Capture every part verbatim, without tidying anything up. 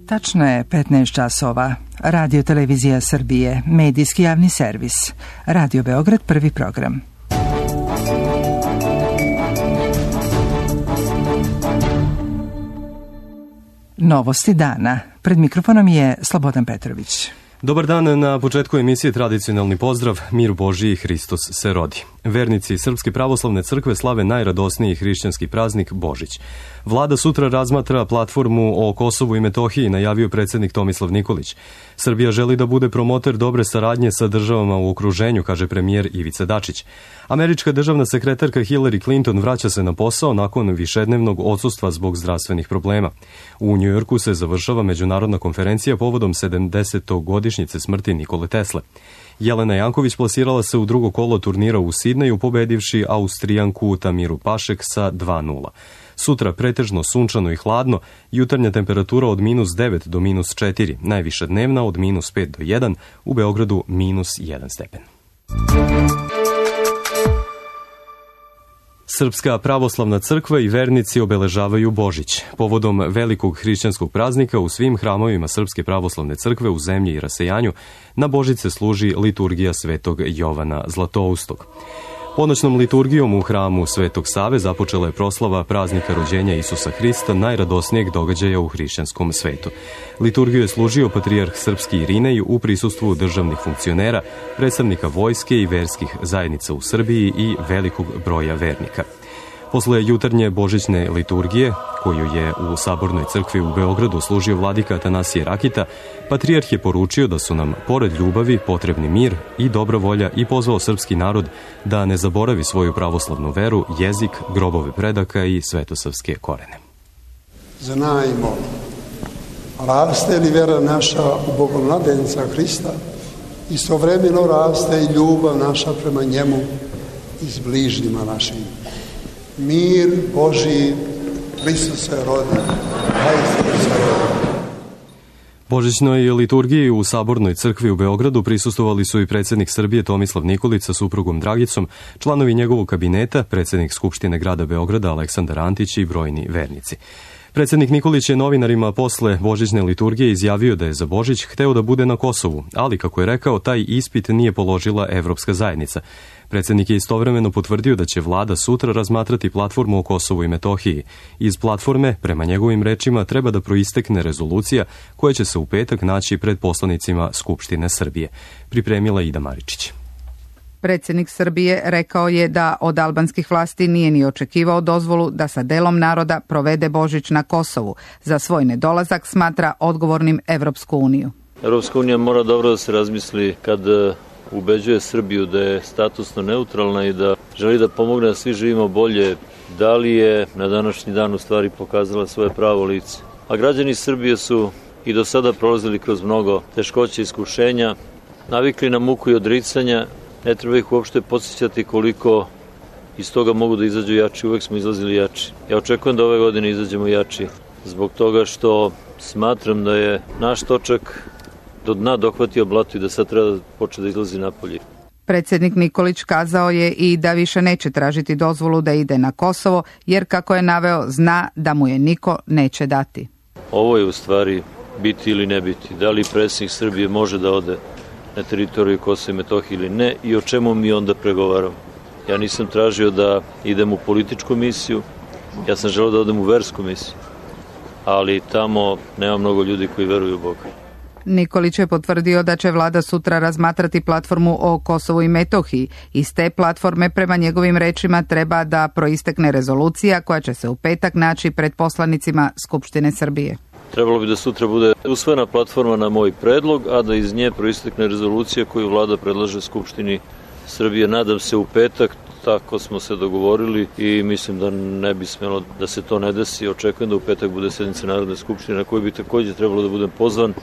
Tačno je petnaest časova. Radio Televizija Srbije, medijski javni servis. Radio Beograd, prvi program. Novosti dana. Pred mikrofonom je Slobodan Petrović. Dobar dan, na početku emisije tradicionalni pozdrav, mir Božiji, Hristos se rodi. Vernici Srpske pravoslavne crkve slave najradosniji hrišćanski praznik Božić. Vlada sutra razmatra platformu o Kosovu i Metohiji, najavio predsjednik Tomislav Nikolić. Srbija želi da bude promoter dobre saradnje sa državama u okruženju, kaže premijer Ivica Dačić. Američka državna sekretarka Hillary Clinton vraća se na posao nakon višednevnog odsustva zbog zdravstvenih problema. U Njujorku se završava međunarodna konferencija povodom sedamdesetogodišnjice smrti Nikole Tesle. Jelena Janković plasirala se u drugo kolo turnira u Sidneju, pobedivši Austrijanku Tamiru Pašek sa dva nula. Sutra pretežno sunčano i hladno, jutarnja temperatura od minus devet do minus četiri, najviša dnevna od minus pet do jedan, u Beogradu minus jedan stepen. Srpska pravoslavna crkva i vernici obeležavaju Božić. Povodom velikog hrišćanskog praznika u svim hramovima Srpske pravoslavne crkve u zemlji i rasejanju na Božić se služi liturgija Svetog Jovana Zlatoustog. Ponoćnom liturgijom u hramu Svetog Save započela je proslava praznika rođenja Isusa Hrista, najradosnijeg događaja u hrišćanskom svetu. Liturgiju je služio patrijarh srpski Irinej u prisustvu državnih funkcionera, predstavnika vojske i verskih zajednica u Srbiji i velikog broja vernika. Posle jutarnje božićne liturgije, koju je u Sabornoj crkvi u Beogradu služio vladika Atanasije Rakita, patrijarh je poručio da su nam, pored ljubavi, potrebni mir i dobra volja i pozvao srpski narod da ne zaboravi svoju pravoslavnu veru, jezik, grobove predaka i svetosavske korene. Znajmo, raste li vera naša u Bogomladenca Hrista, istovremeno raste i ljubav naša prema njemu i s bližnjima našim. Mir Božiji, Hristos se rodi, Hristos se rodi. Božićnoj liturgiji u Sabornoj crkvi u Beogradu prisustvovali su i predsjednik Srbije Tomislav Nikolić sa suprugom Dragicom, članovi njegovog kabineta, predsjednik Skupštine grada Beograda Aleksandar Antić i brojni vernici. Predsjednik Nikolić je novinarima posle božićne liturgije izjavio da je za Božić hteo da bude na Kosovu, ali, kako je rekao, taj ispit nije položila Evropska zajednica. Predsjednik je istovremeno potvrdio da će vlada sutra razmatrati platformu o Kosovu i Metohiji. Iz platforme, prema njegovim rečima, treba da proistekne rezolucija koja će se u petak naći pred poslanicima Skupštine Srbije. Pripremila Ida Maričić. Predsjednik Srbije rekao je da od albanskih vlasti nije ni očekivao dozvolu da sa delom naroda provede Božić na Kosovu. Za svoj nedolazak smatra odgovornim Evropsku uniju. Evropska unija mora dobro da se razmisli kad ubeđuje Srbiju da je statusno neutralna i da želi da pomogne da svi živimo bolje. Da li je na današnji dan u stvari pokazala svoje pravo lice? A građani Srbije su i do sada prolazili kroz mnogo teškoća i iskušenja, navikli na muku i odricanja. Ne treba ih uopšte podsjećati koliko iz toga mogu da izađu jači. Uvek smo izlazili jači. Ja očekujem da ove godine izađemo jači zbog toga što smatram da je naš točak do dna dohvatio blato i da sad treba da počne da izlazi napolje. Predsjednik Nikolić kazao je i da više neće tražiti dozvolu da ide na Kosovo, jer, kako je naveo, zna da mu je niko neće dati. Ovo je u stvari biti ili ne biti. Da li predsjednik Srbije može da ode na teritoriju Kosova i Metohije ili ne i o čemu mi onda pregovaramo. Ja nisam tražio da idem u političku misiju, ja sam želeo da odem u versku misiju, ali tamo nema mnogo ljudi koji veruju u Boga. Nikolić je potvrdio da će vlada sutra razmatrati platformu o Kosovu i Metohiji. Iz te platforme, prema njegovim rečima, treba da proistekne rezolucija koja će se u petak naći pred poslanicima Skupštine Srbije. Trebalo bi da sutra bude usvojena platforma na moj predlog, a da iz nje proistekne rezolucija koju vlada predlaže Skupštini Srbije. Nadam se u petak, tako smo se dogovorili i mislim da ne bi smelo da se to ne desi. Očekujem da u petak bude sednica Narodne skupštine na kojoj bi također trebalo da budem pozvan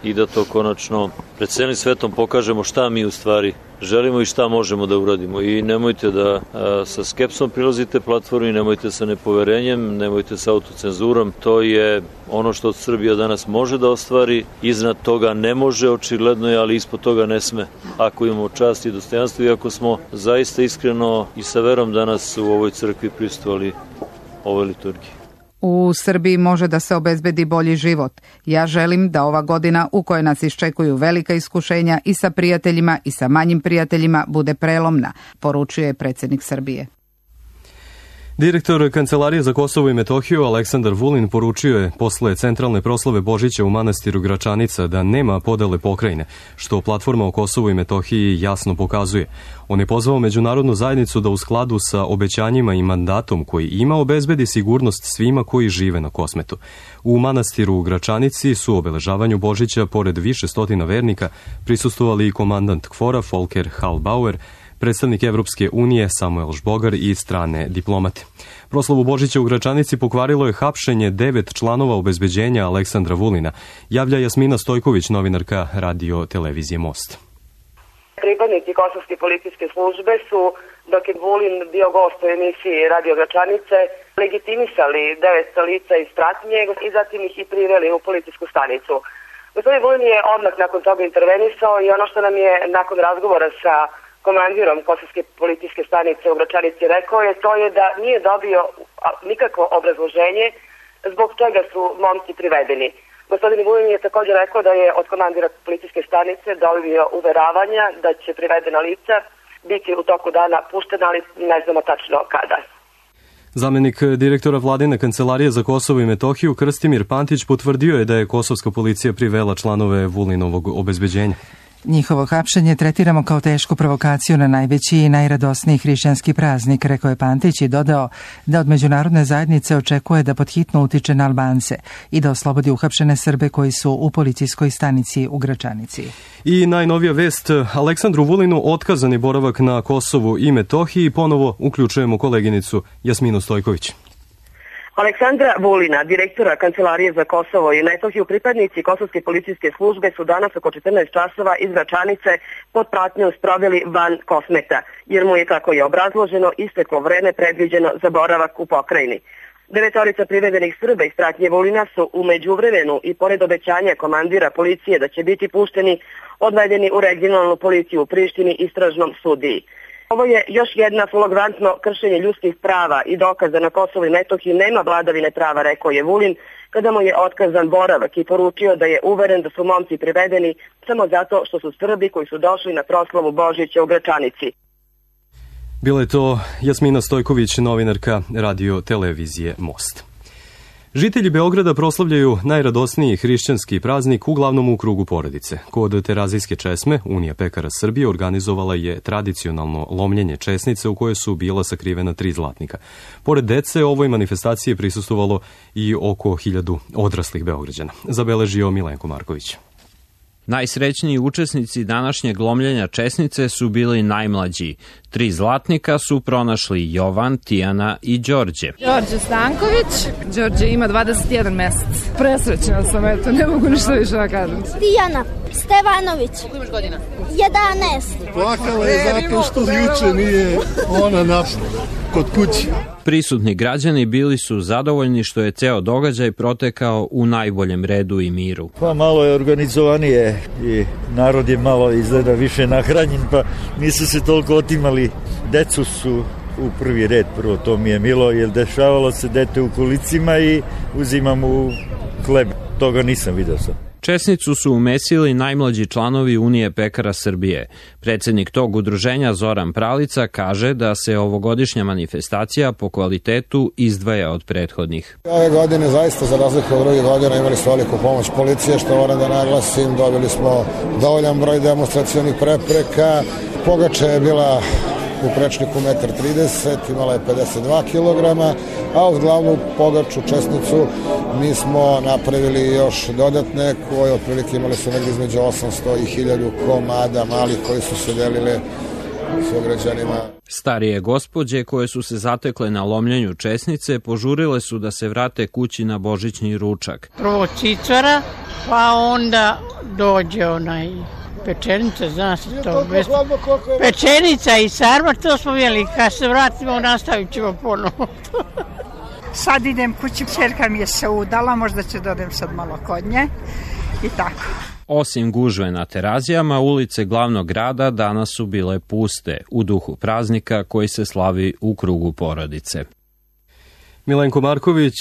i da to konačno pred celim svetom pokažemo šta mi u stvari želimo i šta možemo da uradimo. I nemojte da a, sa skepsom prilazite platformi, nemojte sa nepoverenjem, nemojte sa autocenzurom. To je ono što Srbija danas može da ostvari. Iznad toga ne može, očigledno je, ali ispod toga ne sme. Ako imamo čast i dostojanstvo i ako smo zaista iskreno i sa verom danas u ovoj crkvi prisustvovali ovoj liturgiji. U Srbiji može da se obezbedi bolji život. Ja želim da ova godina u kojoj nas iščekuju velika iskušenja i sa prijateljima i sa manjim prijateljima bude prelomna, poručuje predsjednik Srbije. Direktor Kancelarije za Kosovo i Metohiju Aleksandar Vulin poručio je posle centralne proslave Božića u manastiru Gračanica da nema podele pokrajine, što platforma o Kosovu i Metohiji jasno pokazuje. On je pozvao međunarodnu zajednicu da u skladu sa obećanjima i mandatom koji ima obezbedi sigurnost svima koji žive na Kosmetu. U manastiru u Gračanici su obeležavanju Božića pored više stotina vernika prisustvovali i komandant KFOR-a Volker Hallbauer, predstavnik Evropske unije Samuel Žbogar i strane diplomate. Proslavu Božića u Gračanici pokvarilo je hapšenje devet članova obezbeđenja Aleksandra Vulina, javlja Jasmina Stojković, novinarka radio televizije Most. Pripadnici kosovske policijske službe su, dok je Vulin bio gost u emisiji Radio Gračanice, legitimisali devet lica iz pratnje i zatim ih i priveli u policijsku stanicu. Gospodin Vulin je odmah nakon toga intervenisao i ono što nam je nakon razgovora sa komandirom kosovske policijske stanice u Gračanici rekao je, to je da nije dobio nikakvo obrazloženje zbog čega su momci privedeni. Gospodin Vulin je također rekao da je od komandira policijske stanice dobio uveravanja da će privedena lica biti u toku dana puštena, ali ne znamo tačno kada. Zamenik direktora Vladine Kancelarije za Kosovo i Metohiju Krstimir Pantić potvrdio je da je kosovska policija privela članove Vulinovog obezbeđenja. Njihovo hapšenje tretiramo kao tešku provokaciju na najveći i najradosniji hrišćanski praznik, rekao je Pantić i dodao da od međunarodne zajednice očekuje da podhitno utiče na Albance i da oslobodi uhapšene Srbe koji su u policijskoj stanici u Gračanici. I najnovija vest, Aleksandru Vulinu otkazan je boravak na Kosovu i Metohiji. Ponovo uključujemo koleginicu Jasminu Stojković. Aleksandra Vulina, direktora Kancelarije za Kosovo i Metohiju, pripadnici kosovske policijske službe su danas oko četrnaest časova iz Gračanice pod pratnjom sproveli van Kosmeta, jer mu je, kako je obrazloženo, isteklo vreme predviđeno za boravak u pokrajini. Devetorica privedenih Srba iz pratnje Vulina su u međuvremenu i pored obećanja komandira policije da će biti pušteni, odvedeni u regionalnu policiju u Prištini istražnom sudiji. Ovo je još jedna flagrantno kršenje ljudskih prava i dokaza na Kosovu i Metohiji nema vladavine prava, rekao je Vulin, kada mu je otkazan boravak i poručio da je uveren da su momci privedeni samo zato što su Srbi koji su došli na proslavu Božića u Gračanici. Bila je to Jasmina Stojković, novinarka radio televizije Most. Žitelji Beograda proslavljaju najradosniji hrišćanski praznik uglavnom u krugu porodice. Kod Terazijske česme Unija pekara Srbije organizovala je tradicionalno lomljenje česnice u kojoj su bila sakrivena tri zlatnika. Pored dece, ovoj manifestaciji prisustvovalo i oko hiljadu odraslih Beograđana, zabeležio Milenko Marković. Najsrećniji učesnici današnjeg lomljenja česnice su bili najmlađi. Tri zlatnika su pronašli Jovan, Tijana i Đorđe. Đorđe Stanković. Đorđe ima dvadeset jedan mesec. Presrećena sam, eto, ne mogu ništa više da kažem. Tijana Stevanović. Koliko imaš godina? jedanaest. Plakala je zato što juče nije ona našla kod kući. Prisutni građani bili su zadovoljni što je ceo događaj protekao u najboljem redu i miru. Pa malo je organizovanije i narod je malo izgleda više nahranjen, pa nisu se toliko otimali. Decu su u prvi red, prvo to mi je milo, jer dešavalo se dete u kolicima i uzimam u hleb. Toga nisam vidio sam. Česnicu su umesili najmlađi članovi Unije pekara Srbije. Predsjednik tog udruženja Zoran Pralica kaže da se ovogodišnja manifestacija po kvalitetu izdvaja od prethodnih. Ove godine zaista za razliku od drugih godina imali smo veliku pomoć policije, što moram da naglasim, dobili smo dovoljan broj demonstracionih prepreka. Pogača je bila u prečniku jedan trideset, imala je pedeset dva kilograma, a uz glavnu pogaču česnicu mi smo napravili još dodatne koje otprilike imali su negdje između osamsto i hiljadu komada malih koji su se delile sugrađanima. Starije gospođe koje su se zatekle na lomljenju česnice požurile su da se vrate kući na božićni ručak. Prvo cicara, pa onda dođe onaj pečenica, zna se to. Bez... Pečenica i sarma, to smo jeli. Kad se vratimo, nastavit ćemo ponovo. Sad idem kući, čerka mi je se udala, možda ću da odem sad malo kod nje i tako. Osim gužve na Terazijama, ulice glavnog grada danas su bile puste, u duhu praznika koji se slavi u krugu porodice. Milenko Marković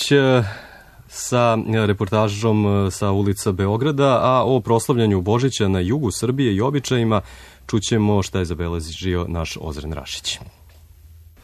sa reportažom sa ulica Beograda, a o proslavljanju Božića na jugu Srbije i običajima čućemo šta je zabeležio naš Ozren Rašić.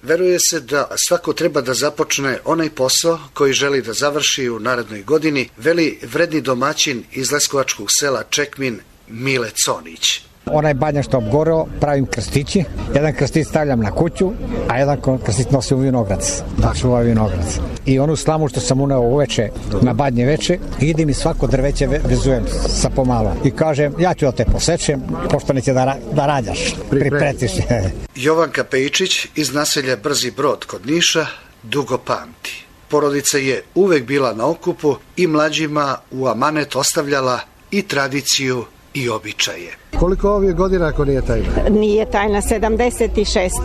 Veruje se da svako treba da započne onaj posao koji želi da završi u narednoj godini, veli vredni domaćin iz leskovačkog sela Čekmin Mile Conić. Onaj badnjak što obgoreo, pravim krstići. Jedan krstić stavljam na kuću, a jedan krstić nosim u vinograc. Da čuva vinograc. I onu slamu što sam uneo uveče na badnje veče, idem i svako drveće vezujem sa pomalo. I kažem, ja ću da te posečem, pošto neće da, da rađaš. Pripretiš. Jovanka Pejičić iz naselja Brzi Brod kod Niša dugo pamti. Porodica je uvek bila na okupu i mlađima u amanet ostavljala i tradiciju i običaje. Koliko ovih godina ako nije tajna? Nije tajna, sedamdeset šest.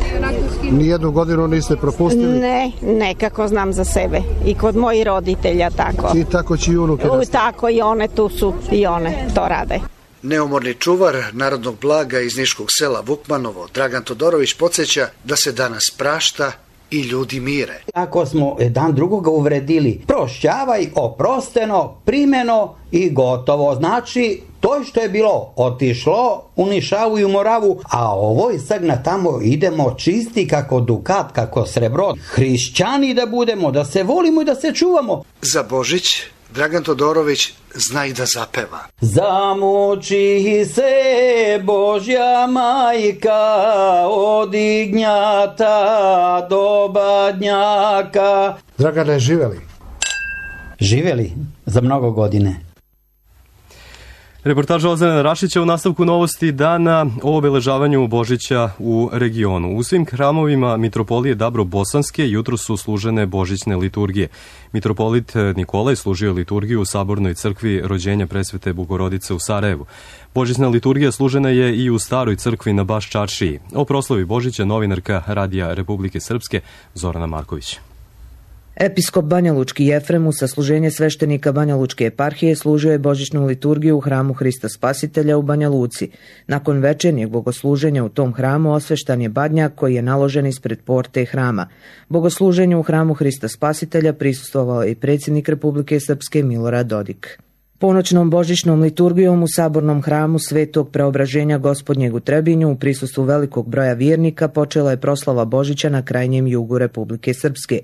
Nijednu godinu niste propustili? Ne, nekako znam za sebe. I kod mojih roditelja tako. I tako će i unuke nastaviti? Tako i one tu su i one to rade. Neumorni čuvar narodnog blaga iz niškog sela Vukmanovo, Dragan Todorović, podsjeća da se danas prašta i ljudi mire. Ako smo dan drugoga uvredili, prošćavaj, oprosteno, primeno i gotovo. Znači, to što je bilo otišlo u Nišavu i u Moravu, a ovo i sad na tamo idemo čisti kako dukat, kako srebro. Hrišćani da budemo, da se volimo i da se čuvamo. Za Božić Dragan Todorović zna i da zapeva. Zamuči se Božja majka od ignjata do badnjaka. Dragane, živeli? Živeli za mnogo godine. Reportaža Ozrena Rašića u nastavku novosti dana o obeležavanju Božića u regionu. U svim hramovima Mitropolije Dabro-Bosanske jutro su služene božićne liturgije. Mitropolit Nikolaj služio liturgiju u Sabornoj crkvi Rođenja Presvete Bogorodice u Sarajevu. Božićna liturgija služena je i u Staroj crkvi na Baš Čaršiji. O proslavi Božića novinarka Radija Republike Srpske Zorana Marković. Episkop Banjalučki Jefrem u sasluženje sveštenika Banjalučke eparhije služio je božićnu liturgiju u hramu Hrista Spasitelja u Banja Luci. Nakon večernjeg bogosluženja u tom hramu osveštan je badnjak koji je naložen ispred porte hrama. Bogosluženju u hramu Hrista Spasitelja prisustvovao je i predsjednik Republike Srpske Milorad Dodik. Ponoćnom božićnom liturgijom u sabornom hramu Svetog Preobraženja Gospodnjeg u Trebinju u prisustvu velikog broja vjernika počela je proslava Božića na krajnjem jugu Republike Srpske.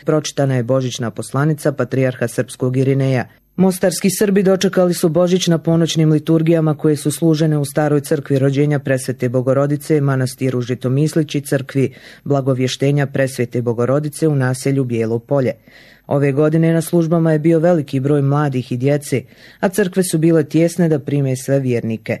Pročitana je božićna poslanica patrijarha srpskog Irineja. Mostarski Srbi dočekali su Božić na ponoćnim liturgijama koje su služene u Staroj crkvi Rođenja Presvete Bogorodice, manastiru Žitomislić i crkvi Blagovještenja Presvete Bogorodice u naselju Bijelo Polje. Ove godine na službama je bio veliki broj mladih i djece, a crkve su bile tjesne da prime sve vjernike.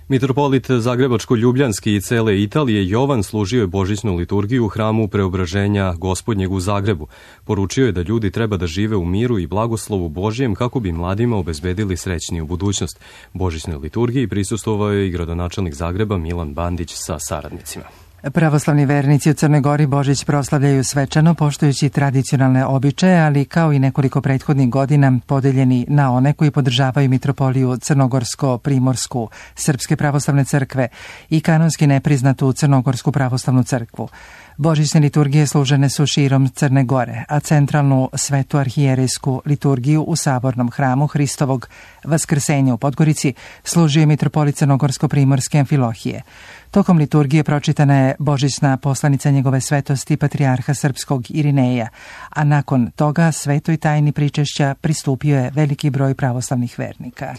Mitropolit Zagrebačko-Ljubljanski i cele Italije Jovan služio je božićnu liturgiju u hramu Preobraženja Gospodnjeg u Zagrebu. Poručio je da ljudi treba da žive u miru i blagoslovu Božjem kako bi mladima obezbedili srećniju budućnost. Božićnoj liturgiji prisustvovao je i gradonačelnik Zagreba Milan Bandić sa saradnicima. Pravoslavni vernici u Crnoj Gori Božić proslavljaju svečano, poštujući tradicionalne običaje, ali kao i nekoliko prethodnih godina podeljeni na one koji podržavaju mitropoliju Crnogorsko-Primorsku Srpske pravoslavne crkve i kanonski nepriznatu Crnogorsku pravoslavnu crkvu. Božićne liturgije služene su širom Crne Gore, a centralnu svetu arhijerejsku liturgiju u sabornom hramu Hristovog Vaskrsenja u Podgorici služio je mitropolit Crnogorsko-Primorske Amfilohije. Tokom liturgije pročitana je božićna poslanica njegove svetosti patrijarha srpskog Irineja, a nakon toga svetoj tajni pričešća pristupio je veliki broj pravoslavnih vernika.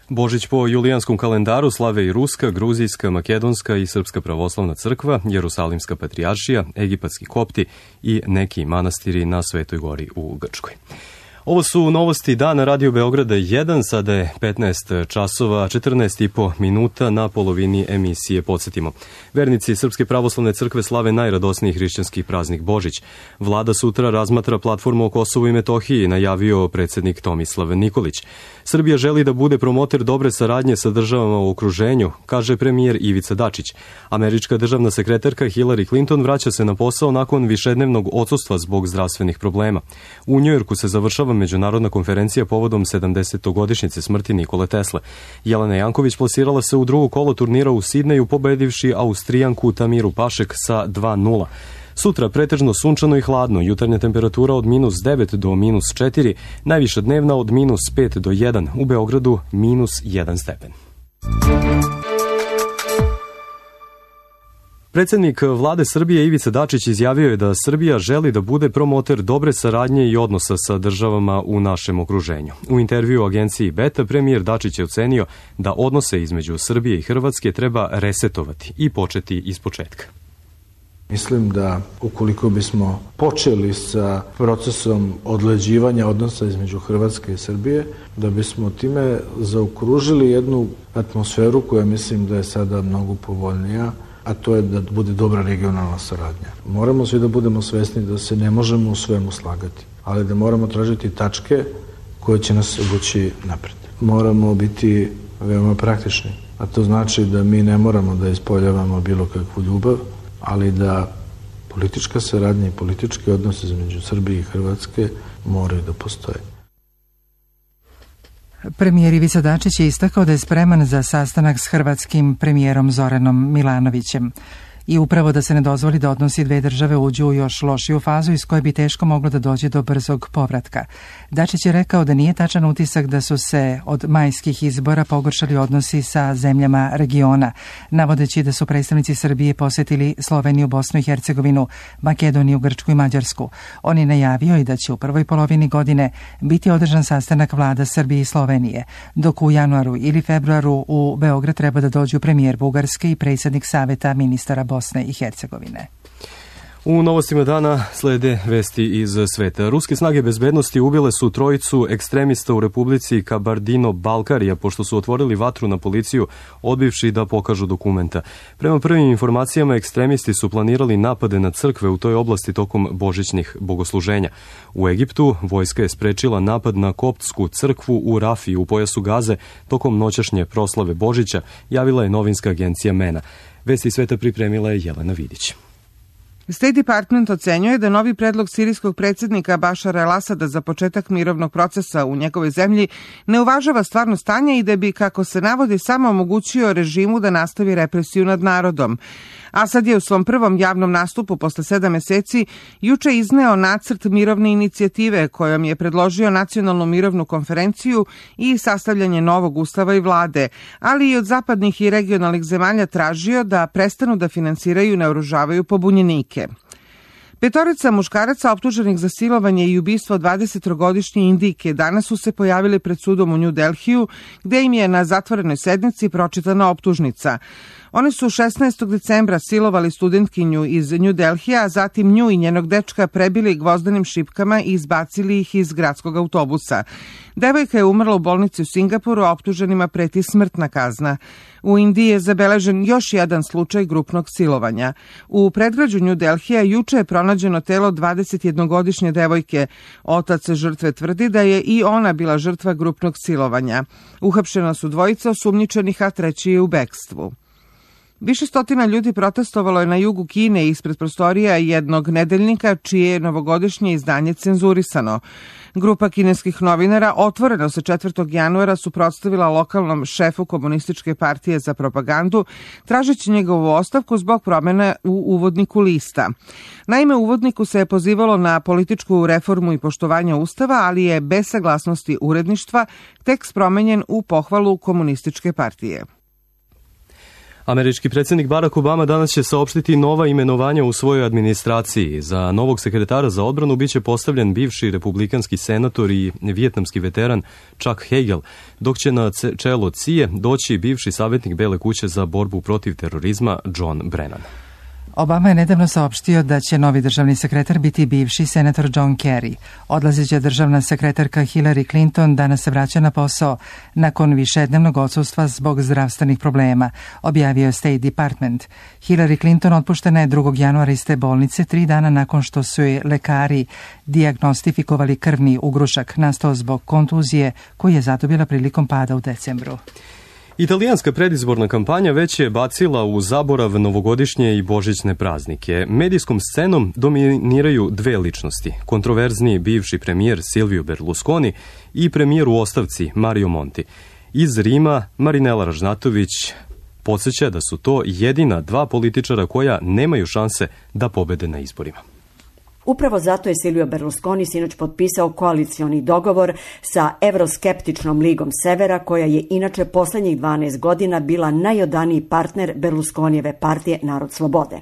Božić po julijanskom kalendaru slave i Ruska, Gruzijska, Makedonska i Srpska pravoslavna crkva, Jerusalimska patrijaršija, Egipatski kopti i neki manastiri na Svetoj Gori u Grčkoj. Ovo su novosti dana Radio Beograda jedan, sada je petnaest časova, četrnaest i po minuta, na polovini emisije podsjetimo. Vernici Srpske pravoslavne crkve slave najradosniji hrišćanski praznik Božić. Vlada sutra razmatra platformu o Kosovu i Metohiji, najavio predsjednik Tomislav Nikolić. Srbija želi da bude promoter dobre saradnje sa državama u okruženju, kaže premijer Ivica Dačić. Američka državna sekretarka Hillary Clinton vraća se na posao nakon višednevnog odsustva zbog zdravstvenih problema. U Njujorku se završava međunarodna konferencija povodom sedamdesetogodišnjice smrti Nikole Tesle. Jelena Janković plasirala se u drugo kolo turnira u Sidneju, pobedivši Austrijanku Tamiru Pašek sa dva nula. Sutra pretežno sunčano i hladno, jutarnja temperatura od minus devet do minus četiri, najviša dnevna od minus pet do jedan, u Beogradu minus jedan stepen. Predsjednik vlade Srbije Ivica Dačić izjavio je da Srbija želi da bude promoter dobre saradnje i odnosa sa državama u našem okruženju. U intervju agenciji Beta premijer Dačić je ocenio da odnose između Srbije i Hrvatske treba resetovati i početi iz početka. Mislim da ukoliko bismo počeli sa procesom odleđivanja odnosa između Hrvatske i Srbije, da bismo time zaokružili jednu atmosferu koja mislim da je sada mnogo povoljnija, a to je da bude dobra regionalna saradnja. Moramo svi da budemo svesni da se ne možemo u svemu slagati, ali da moramo tražiti tačke koje će nas vući napred. Moramo biti veoma praktični, a to znači da mi ne moramo da ispoljavamo bilo kakvu ljubav, ali da politička saradnja i politički odnos između Srbije i Hrvatske moraju da postoje. Premijer Ivica Dačić je istakao da je spreman za sastanak s hrvatskim premijerom Zoranom Milanovićem i upravo da se ne dozvoli da odnosi dve države uđu u još lošiju fazu iz koje bi teško moglo da dođe do brzog povratka. Dačić je rekao da nije tačan utisak da su se od majskih izbora pogoršali odnosi sa zemljama regiona, navodeći da su predstavnici Srbije posetili Sloveniju, Bosnu i Hercegovinu, Makedoniju, Grčku i Mađarsku. On je najavio i da će u prvoj polovini godine biti održan sastanak vlada Srbije i Slovenije, dok u januaru ili februaru u Beograd treba da dođu premijer Bugarske i predsjednik Saveta ministara Bosne i Hercegovine. U novostima dana slede vesti iz sveta. Ruske snage bezbednosti ubile su trojicu ekstremista u Republici Kabardino-Balkarija pošto su otvorili vatru na policiju odbivši da pokažu dokumenta. Prema prvim informacijama, ekstremisti su planirali napade na crkve u toj oblasti tokom božićnih bogosluženja. U Egiptu vojska je sprečila napad na koptsku crkvu u Rafiji u pojasu Gaze tokom noćašnje proslave Božića, javila je novinska agencija MENA. Vesti sveta pripremila je Jelena Vidić. State Department ocenjuje da novi predlog sirijskog predsjednika Bašara el-Asada za početak mirovnog procesa u njegovoj zemlji ne uvažava stvarno stanje i da bi, kako se navodi, samo omogućio režimu da nastavi represiju nad narodom. Asad je u svom prvom javnom nastupu posle sedam meseci juče izneo nacrt mirovne inicijative kojom je predložio nacionalnu mirovnu konferenciju i sastavljanje novog ustava i vlade, ali i od zapadnih i regionalnih zemalja tražio da prestanu da finansiraju i naoružavaju pobunjenike. Petorica muškaraca optuženih za silovanje i ubistvo dvadesettrogodišnje Indijke danas su se pojavili pred sudom u New Delhiju, gde im je na zatvorenoj sednici pročitana optužnica. Oni su šesnaestog decembra silovali studentkinju iz New Delhija, a zatim nju i njenog dečka prebili gvozdenim šipkama i izbacili ih iz gradskog autobusa. Devojka je umrla u bolnici u Singapuru, a optuženima preti smrtna kazna. U Indiji je zabeležen još jedan slučaj grupnog silovanja. U predgrađu New Delhija juče je pronađeno telo dvadesetjednogodišnje devojke. Otac žrtve tvrdi da je i ona bila žrtva grupnog silovanja. Uhapšena su dvojica osumnjičenih, a treći je u bekstvu. Više stotina ljudi protestovalo je na jugu Kine ispred prostorija jednog nedeljnika čije je novogodišnje izdanje cenzurisano. Grupa kineskih novinara otvoreno se četvrtog januara suprotstavila lokalnom šefu komunističke partije za propagandu, tražeći njegovu ostavku zbog promjene u uvodniku lista. Naime, u uvodniku se je pozivalo na političku reformu i poštovanje ustava, ali je bez saglasnosti uredništva tekst promenjen u pohvalu komunističke partije. Američki predsjednik Barack Obama danas će saopštiti nova imenovanja u svojoj administraciji. Za novog sekretara za odbranu biće postavljen bivši republikanski senator i vijetnamski veteran Chuck Hagel, dok će na čelo C I A doći bivši savjetnik Bele kuće za borbu protiv terorizma John Brennan. Obama je nedavno saopštio da će novi državni sekretar biti bivši senator John Kerry. Odlazeća državna sekretarka Hillary Clinton danas se vraća na posao nakon višednevnog odsustva zbog zdravstvenih problema, objavio je State Department. Hillary Clinton otpuštena je drugog januara iz te bolnice, tri dana nakon što su joj lekari dijagnostifikovali krvni ugrušak nastao zbog kontuzije koju je zadobila prilikom pada u decembru. Italijanska predizborna kampanja već je bacila u zaborav novogodišnje i božićne praznike. Medijskom scenom dominiraju dve ličnosti. Kontroverzni bivši premijer Silvio Berlusconi i premijer u ostavci Mario Monti. Iz Rima Marinela Ražnatović Podsjeća da su to jedina dva političara koja nemaju šanse da pobede na izborima. Upravo zato je Silvio Berlusconi sinoć potpisao koalicioni dogovor sa evroskeptičnom Ligom Severa, koja je inače posljednjih dvanaest godina bila najodaniji partner Berlusconijeve partije Narod slobode.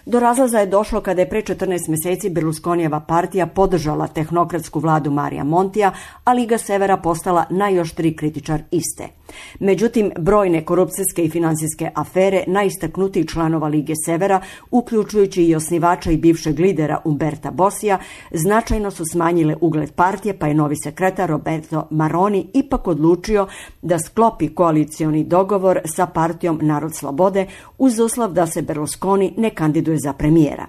Do razlaza je došlo kada je pre četrnaest mjeseci Berlusconijeva partija podržala tehnokratsku vladu Marija Montija, a Liga Severa postala najoštriji kritičar iste. Međutim, brojne korupcijske i financijske afere najistaknutijih članova Lige Severa, uključujući i osnivača i bivšeg lidera Umberta Bosija, značajno su smanjile ugled partije, pa je novi sekretar Roberto Maroni ipak odlučio da sklopi koalicioni dogovor sa partijom Narod slobode uz uslov da se Berlusconi ne kandiduje za premijera.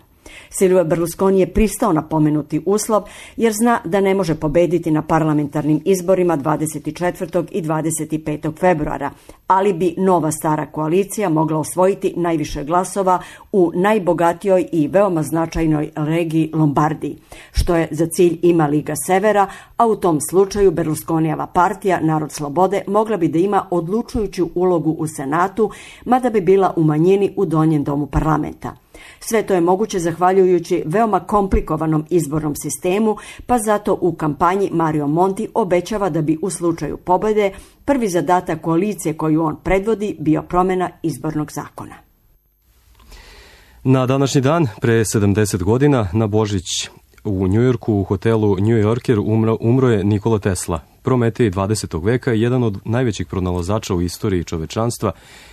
Silvio Berlusconi je pristao na pomenuti uslov jer zna da ne može pobediti na parlamentarnim izborima dvadeset četvrtog i dvadeset petog februara, ali bi nova stara koalicija mogla osvojiti najviše glasova u najbogatijoj i veoma značajnoj regiji Lombardiji, što je za cilj ima Liga Severa, a u tom slučaju Berlusconijeva partija Narod slobode mogla bi da ima odlučujuću ulogu u Senatu, mada bi bila u manjini u donjem domu parlamenta. Sve to je moguće zahvaljujući veoma komplikovanom izbornom sistemu, pa zato u kampanji Mario Monti obećava da bi u slučaju pobjede prvi zadatak koalicije koju on predvodi bio promjena izbornog zakona. Na današnji dan, pre sedamdeset godina, na Božić u Njujorku u hotelu New Yorker umro, umro je Nikola Tesla, Prometej dvadesetog veka i jedan od najvećih pronalazača u istoriji čovečanstva,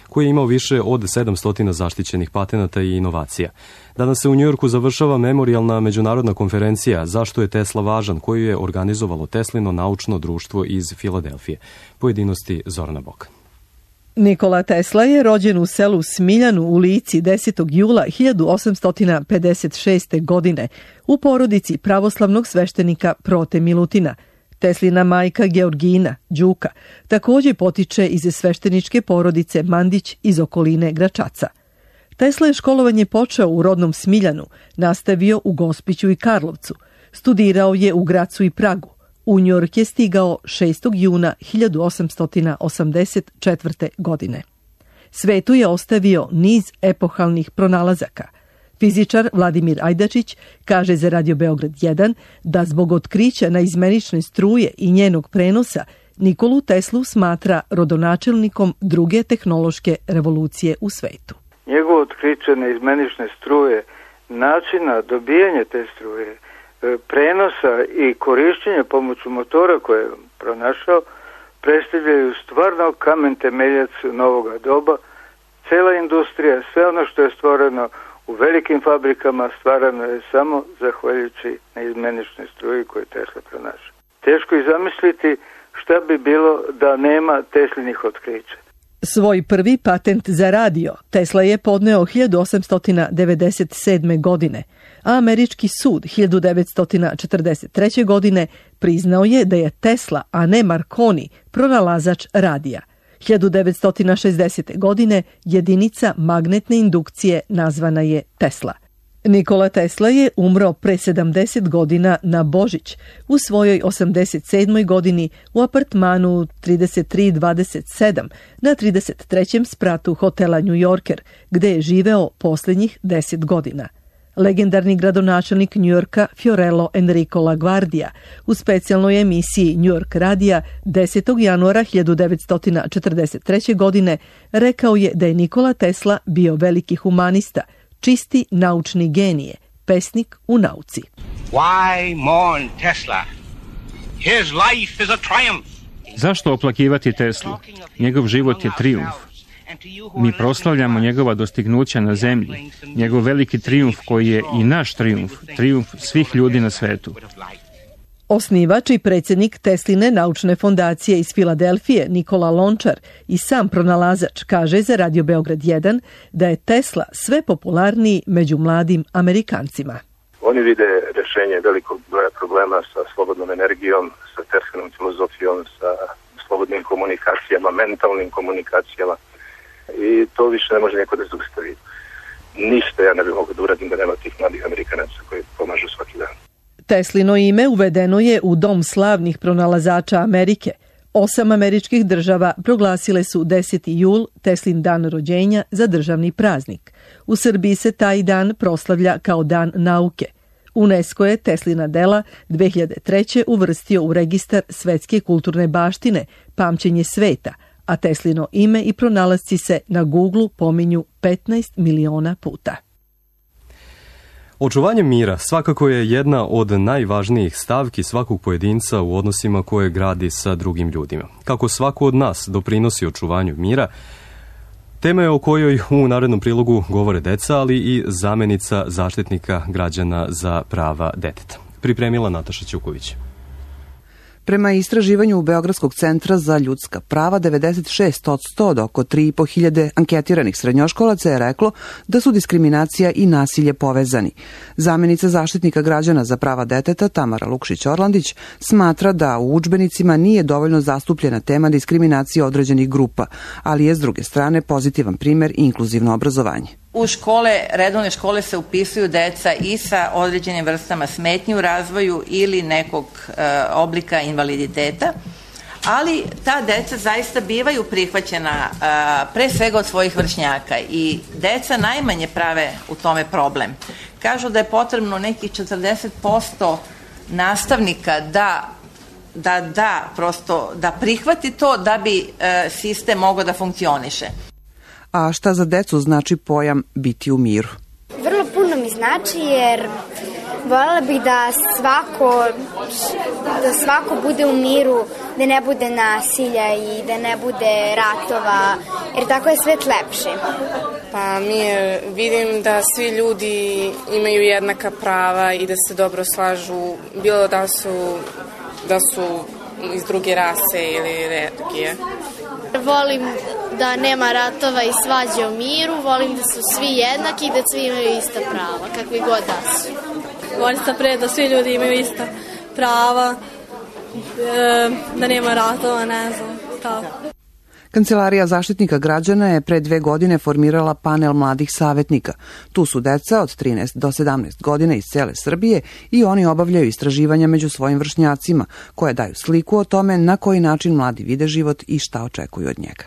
koji je imao više od sedamsto zaštićenih patenata i inovacija. Danas se u Njujorku završava memorijalna međunarodna konferencija Zašto je Tesla važan, koju je organizovalo Teslino naučno društvo iz Filadelfije. Pojedinosti Zorana Bok. Nikola Tesla je rođen u selu Smiljanu u Lici desetog jula hiljadu osamsto pedeset šeste. godine u porodici pravoslavnog sveštenika Prote Milutina. Teslina majka Georgina, Đuka, također potiče iz svešteničke porodice Mandić iz okoline Gračaca. Tesla je školovanje počeo u rodnom Smiljanu, nastavio u Gospiću i Karlovcu, studirao je u Gracu i Pragu. U Njujork je stigao šestog juna hiljadu osamsto osamdeset četvrte. godine. Svetu je ostavio niz epohalnih pronalazaka. Fizičar Vladimir Ajdačić kaže za Radio Beograd jedan da zbog otkrića naizmenične struje i njenog prenosa Nikolu Teslu smatra rodonačelnikom druge tehnološke revolucije u svetu. Njegovo otkriće naizmenične struje, načina dobijanja te struje, prenosa i korišćenja pomoću motora koje je pronašao, predstavljaju stvarno kamen temeljac novoga doba. Cela industrija, sve ono što je stvoreno u velikim fabrikama, stvarano je samo zahvaljujući naizmeničnoj struji koju Tesla pronašao. Teško je zamisliti šta bi bilo da nema Teslinih otkrića. Svoj prvi patent za radio Tesla je podneo hiljadu osamsto devedeset sedme. godine, a američki sud hiljadu devetsto četrdeset treće. godine priznao je da je Tesla, a ne Marconi, pronalazač radija. hiljadu devetsto šezdesete. godine jedinica magnetne indukcije nazvana je Tesla. Nikola Tesla je umro pre sedamdeset godina na Božić u svojoj osamdeset sedmoj. godini u apartmanu trideset tri dvadeset sedam na trideset trećem spratu hotela New Yorker, gde je živeo posljednjih deset godina. Legendarni gradonačelnik Njujorka Fiorello Enrico LaGuardia u specijalnoj emisiji New York radija desetog januara hiljadu devetsto četrdeset treće. godine rekao je da je Nikola Tesla bio veliki humanista, čisti naučni genije, pesnik u nauci. Why mourn Tesla? His life is a triumph. Zašto oplakivati Teslu? Njegov život je trijumf. Mi proslavljamo njegova dostignuća na zemlji, njegov veliki trijumf koji je i naš trijumf, trijumf svih ljudi na svetu. Osnivač i predsjednik Tesline naučne fondacije iz Filadelfije Nikola Lončar i sam pronalazač kaže za Radio Beograd jedan da je Tesla sve popularniji među mladim Amerikancima. Oni vide rješenje velikog broja problema sa slobodnom energijom, sa Teslinom filozofijom, sa slobodnim komunikacijama, mentalnim komunikacijama. I to više ne može neko da zaustavi. Ništa ja ne bih mogao da uradim da nema tih mladih Amerikanaca koji pomažu svaki dan. Teslino ime uvedeno je u Dom slavnih pronalazača Amerike. Osam američkih država proglasile su deseti jul, Teslin dan rođenja, za državni praznik. U Srbiji se taj dan proslavlja kao dan nauke. UNESCO je Teslina dela dve hiljade treće uvrstio u registar svetske kulturne baštine Pamćenje sveta, a Teslino ime i pronalasci se na Googlu pominju petnaest miliona puta. Očuvanje mira svakako je jedna od najvažnijih stavki svakog pojedinca u odnosima koje gradi sa drugim ljudima. Kako svako od nas doprinosi očuvanju mira, tema je o kojoj u narednom prilogu govore deca, ali i zamenica zaštitnika građana za prava deteta. Pripremila Nataša Ćuković. Prema istraživanju Beogradskog centra za ljudska prava, devedeset šest posto od oko tri i po hiljade anketiranih srednjoškolaca je reklo da su diskriminacija i nasilje povezani. Zamenica zaštitnika građana za prava deteta Tamara Lukšić-Orlandić smatra da u udžbenicima nije dovoljno zastupljena tema diskriminacije određenih grupa, ali je s druge strane pozitivan primer i inkluzivno obrazovanje. U škole, redovne škole se upisuju deca i sa određenim vrstama smetnji u razvoju ili nekog e, oblika invaliditeta, ali ta deca zaista bivaju prihvaćena e, pre svega od svojih vršnjaka i deca najmanje prave u tome problem. Kažu da je potrebno nekih četrdeset posto nastavnika da da da prosto da prihvati to da bi e, sistem mogao da funkcioniše. A šta za decu znači pojam biti u miru? Vrlo puno mi znači jer voljela bih da svako, da svako bude u miru, da ne bude nasilja i da ne bude ratova, jer tako je svet lepši. Pa mi je, vidim da svi ljudi imaju jednaka prava i da se dobro slažu, bilo da su, da su iz druge rase ili religije. Volim da nema ratova i svađe u miru, volim da su svi jednaki i da svi imaju ista prava, kakvi god da su. Volim se pre da svi ljudi imaju ista prava, da nema ratova, ne znam, tako. Kancelarija zaštitnika građana je pre dve godine formirala panel mladih savjetnika. Tu su deca od trinaest do sedamnaest godina iz cele Srbije i oni obavljaju istraživanja među svojim vršnjacima, koje daju sliku o tome na koji način mladi vide život i šta očekuju od njega.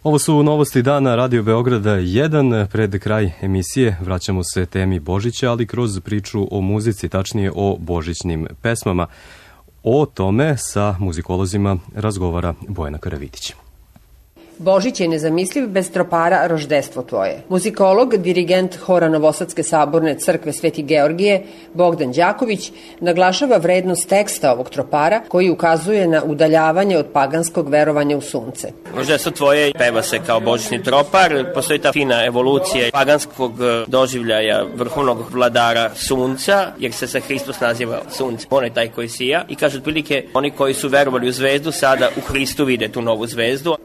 Ovo su novosti dana Radio Beograda jedan. Pred kraj emisije vraćamo se temi Božića, ali kroz priču o muzici, tačnije o božićnim pesmama. O tome sa muzikolozima razgovara Bojana Karavitić. Božić je nezamisliv bez tropara Roždestvo tvoje. Muzikolog, dirigent hora Novosadske saborne crkve Sveti Georgije, Bogdan Đaković, naglašava vrednost teksta ovog tropara koji ukazuje na udaljavanje od paganskog verovanja u sunce. Roždestvo tvoje peva se kao božićni tropar, postoji ta fina evolucija paganskog doživljaja vrhovnog vladara sunca, jer se sa Hristos naziva sunce, on je taj koji sija i kaže otprilike oni koji su verovali u zvezdu sada u Hristu vide tu novu zvezdu.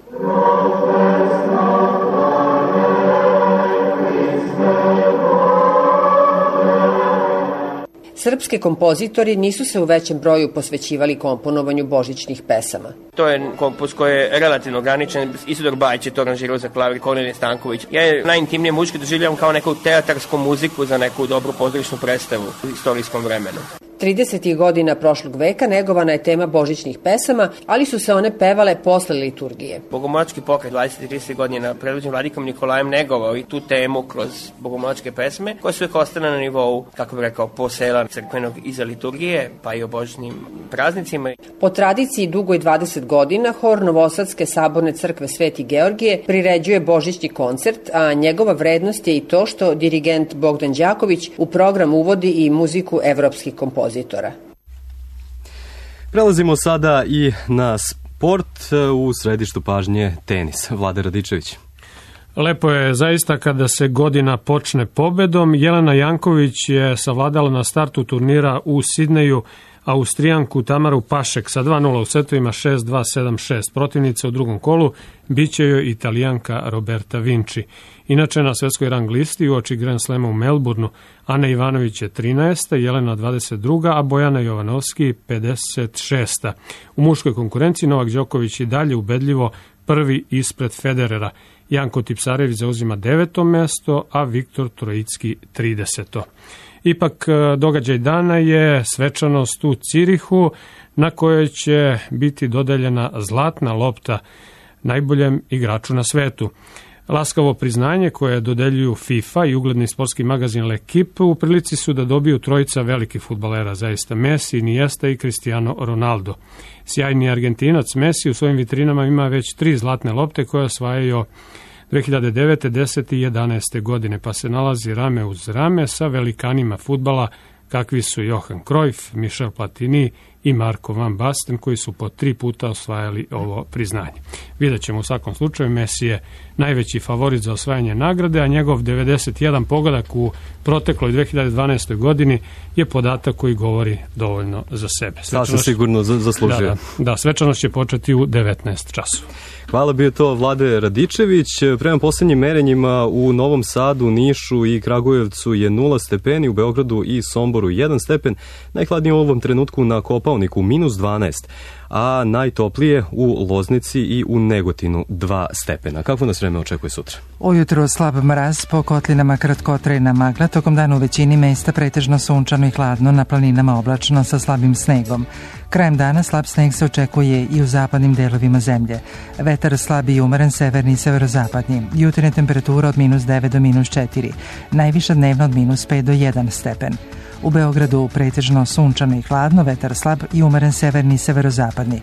Srpski kompozitori nisu se u većem broju posvećivali komponovanju božićnih pesama. To je kompos koji je relativno ograničen. Isidor Bajić je to aranžirao za klavir, Kornelije Stanković. Ja je najintimnije muzički doživljavam kao neku teatarsku muziku za neku dobru pozorišnu predstavu u istorijskom vremenu. tridesetih godina prošlog veka negovana je tema božićnih pesama, ali su se one pevale posle liturgije. Bogomolački pokret dvadesetih i tridesetih godina predvođen vladikom Nikolajem negovao i tu temu kroz bogomolačke pesme, koje su uvijek ostale na nivou, kako bih rekao, posela crkvenog iza liturgije, pa i o božićnim praznicima. Po tradiciji dugoj dvadeset godina, hor Novosadske saborne crkve Sveti Georgije priređuje božićni koncert, a njegova vrednost je i to što dirigent Bogdan Đaković u program uvodi i muziku evropskih kompozitora. Prelazimo sada i na sport, u središtu pažnje tenis. Vlada Radičević. Lepo je zaista kada se godina počne pobedom. Jelena Janković je savladala na startu turnira u Sidneju Austrijanku Tamaru Pašek sa dva nula u setovima šest dva sedam šest. Protivnica u drugom kolu biće joj Italijanka Roberta Vinci. Inače na svetskoj rang listi uoči Grand Slema u Melbourneu Ana Ivanović je trinaesta, Jelena dvadeset druga, a Bojana Jovanovski pedeset šesta. U muškoj konkurenciji Novak Đoković i dalje ubedljivo prvi ispred Federera. Janko Tipsarević zauzima deveto mesto, a Viktor Trojicki trideseto. Ipak događaj dana je svečanost u Cirihu na kojoj će biti dodeljena zlatna lopta najboljem igraču na svetu. Laskavo priznanje koje dodeljuju FIFA i ugledni sportski magazin L'Equipe u prilici su da dobiju trojica velikih fudbalera, zaista Messi, Iniesta i Cristiano Ronaldo. Sjajni Argentinac Messi u svojim vitrinama ima već tri zlatne lopte koje osvajaju dve hiljade devete, desete i jedanaeste godine, pa se nalazi rame uz rame sa velikanima fudbala kakvi su Johan Cruyff, Michel Platini i Marko van Basten, koji su po tri puta osvajali ovo priznanje. Vidjet ćemo u svakom slučaju, Messi je najveći favorit za osvajanje nagrade, a njegov devedeset jedan pogodak u protekloj dve hiljade dvanaestoj godini je podatak koji govori dovoljno za sebe. Sasvim sigurno zaslužio. Da, da, da, svečanost će početi u devetnaest časova. Hvala, bio to Vlade Radičević. Prema posljednjim merenjima u Novom Sadu, Nišu i Kragujevcu je nula stepeni, u Beogradu i Somboru jedan stepen, najhladnije u ovom trenutku na Kopaoniku minus dvanaest, a najtoplije u Loznici i u Negotinu dva stepena. Kako nas vreme očekuje sutra? Ujutro slab mraz, po kotlinama kratkotrajna magla, tokom dana u većini mesta pretežno sunčano i hladno, na planinama oblačno sa slabim snegom. Krajem dana slab sneg se očekuje i u zapadnim delovima zemlje. Vetar slabi i umeren severni i severozapadni. Jutarnja temperatura od minus devet do minus četiri. Najviša dnevno od minus pet do jedan stepen. U Beogradu pretežno sunčano i hladno, vetar slab i umeren severni i severozapadni.